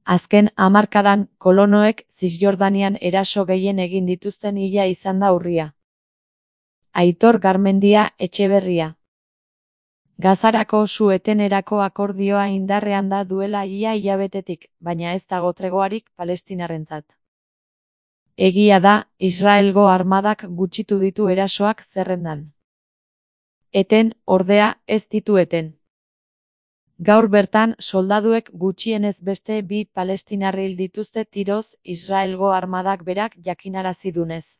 Azken hamarkadan kolonoek Zisjordanian eraso gehien egin dituzten hila izan da urria. Aitor Garmendia Etxeberria. Gazarako su-etenerako akordioa indarrean da duela ia hilabetetik, baina ez dago tregoarik Palestinarentzat. Egia da, Israelgo armadak gutxitu ditu erasoak zerrendan. Eten, ordea, ez ditu eten. Gaur bertan, soldaduek gutxienez beste 2 palestinar hil dituzte tiroz Israelgo armadak berak jakinarazi dunez.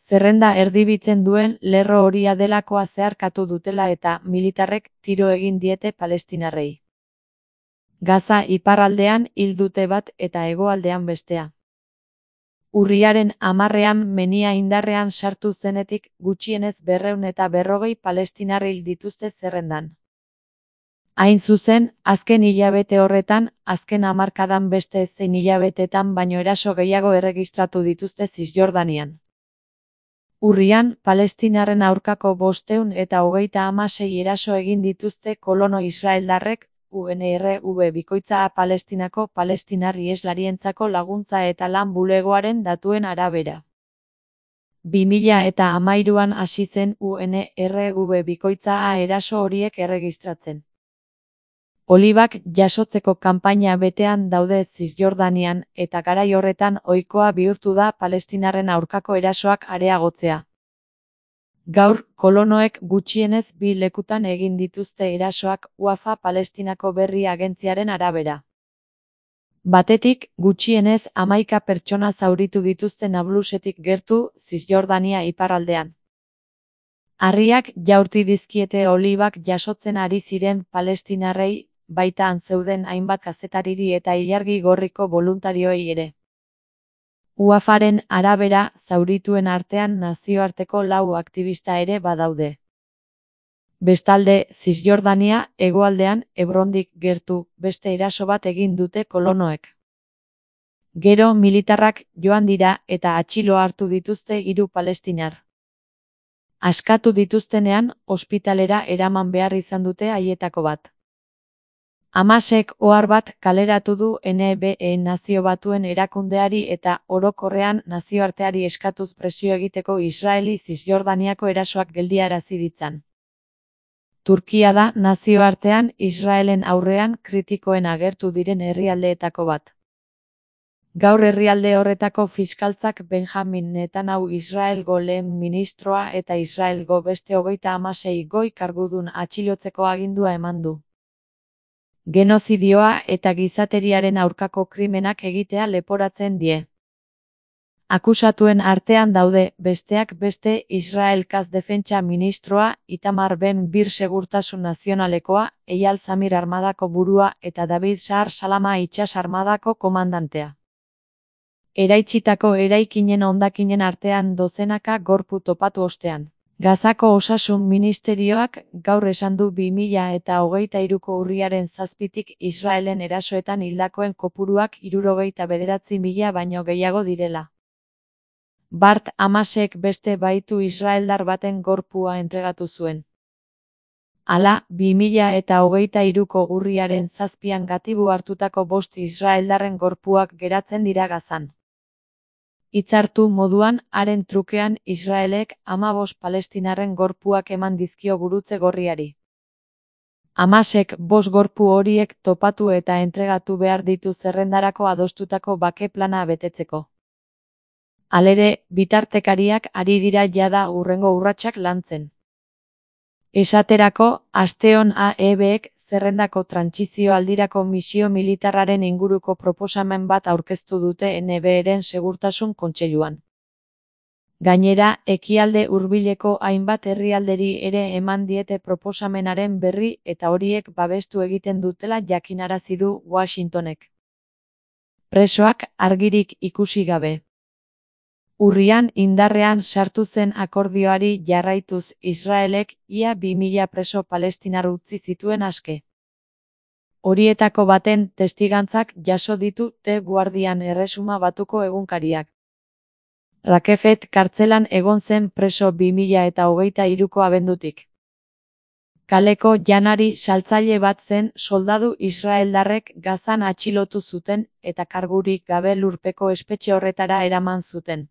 Zerrenda erdibitzen duen lerro horia delakoa zeharkatu dutela eta militarrek tiro egin diete palestinarrei. Gaza iparraldean hil dute bat eta hegoaldean bestea. Urriaren 10ean menia indarrean sartu zenetik gutxienez 240 palestinar hil dituzte zerrendan. Hain zuzen, azken hilabete horretan, azken hamarkadan beste zein hilabetetan baino eraso gehiago erregistratu dituzte Zisjordanian. Urrian, Palestinarren aurkako 526 eraso egin dituzte kolono israeldarrek, UNRW bikoitza Palestinako palestinar iheslarientzako laguntza eta lan bulegoaren datuen arabera. 2013an hasi zen UNRW bikoitza eraso horiek erregistratzen. Olibak jasotzeko kanpaina betean daude Zisjordanian eta garai horretan ohikoa bihurtu da palestinarren aurkako erasoak areagotzea. Gaur, kolonoek gutxienez 2 lekutan egin dituzte erasoak Wafa Palestinako berri agentziaren arabera. Batetik, gutxienez 11 pertsona zauritu dituzte Nablusetik gertu, Zisjordania iparraldean. Harriak jaurti dizkiete olibak jasotzen ari ziren palestinarrei, baita han zeuden hainbat kazetariri eta ilargi gorriko boluntarioei ere. Wafaren arabera, zaurituen artean nazioarteko 4 aktivista ere badaude. Bestalde, Zisjordania hegoaldean Hebrondik gertu beste eraso bat egin dute kolonoek. Gero militarrak joan dira eta atxilo hartu dituzte 3 palestinar. Askatu dituztenean, ospitalera eraman behar izan dute haietako bat. Hamasek ohar bat kaleratu du NBE Nazio Batuen erakundeari eta orokorrean nazioarteari eskatuz presio egiteko Israeli Zisjordaniako erasoak geldiarazi ditzan. Turkia da nazioartean Israelen aurrean kritikoen agertu diren herrialdeetako bat. Gaur herrialde horretako fiskaltzak Benjamin Netanyahu Israelgo lehen ministroa eta Israelgo beste 36 goi kargudun atxilotzeko agindua eman du. Genozidioa eta gizateriaren aurkako krimenak egitea leporatzen die. Akusatuen artean daude, besteak beste, Israelkaz defentsa ministroa, Itamar Ben-Gvir segurtasun nazionalekoa, Eyal Zamir armadako burua eta David Shahar Salama itsas armadako komandantea. Eraitsitako eraikinen hondakinen artean dozenaka gorpu topatu ostean. Gazako osasun ministerioak gaur esan du 2023ko urriaren 7tik Israelen erasoetan hildakoen kopuruak 69.000 baino gehiago direla. Bart Hamasek beste baitu israeldar baten gorpua entregatu zuen. Hala, 2023ko urriaren 7an gatibu hartutako 5 israeldarren gorpuak geratzen dira Gazan. Hitzartu moduan, haren trukean Israelek 15 palestinarren gorpuak eman dizkio gurutze gorriari. Hamasek 5 gorpu horiek topatu eta entregatu behar ditu zerrendarako adostutako bake plana betetzeko. Halere, bitartekariak ari dira jada hurrengo urratsak lantzen. Esaterako, asteon AEBek zerrendako trantsizio aldirako misio militarraren inguruko proposamen bat aurkeztu dute NBEren segurtasun kontseiluan. Gainera, ekialde hurbileko hainbat herrialderi ere eman diete proposamenaren berri eta horiek babestu egiten dutela jakinarazi du Washingtonek. Presoak argirik ikusi gabe. Urrian indarrean sartu zen akordioari jarraituz Israelek ia 2000 preso palestinar utzi zituen aske. Horietako baten testigantzak jaso ditu The Guardian Erresuma Batuko egunkariak. Rakefet kartzelan egon zen preso 2023ko abendutik. Kaleko janari saltzaile bat zen soldadu israeldarrek Gazan atxilotu zuten eta kargurik gabe lurpeko espetxe horretara eraman zuten.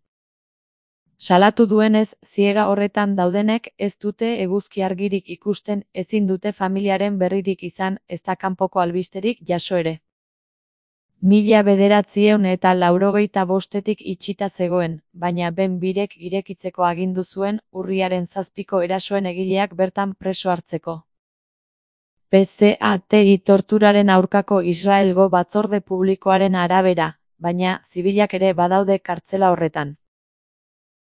Salatu duenez, ziega horretan daudenek ez dute eguzki argirik ikusten, ezin dute familiaren berririk izan, ezta kanpoko albisterik jaso ere. 1985etik itxita zegoen, baina Ben Birek irekitzeko agindu zuen urriaren 7ko erasoen egileak bertan preso hartzeko. PCATI torturaren aurkako Israelgo batzorde publikoaren arabera, baina zibilak ere badaude kartzela horretan.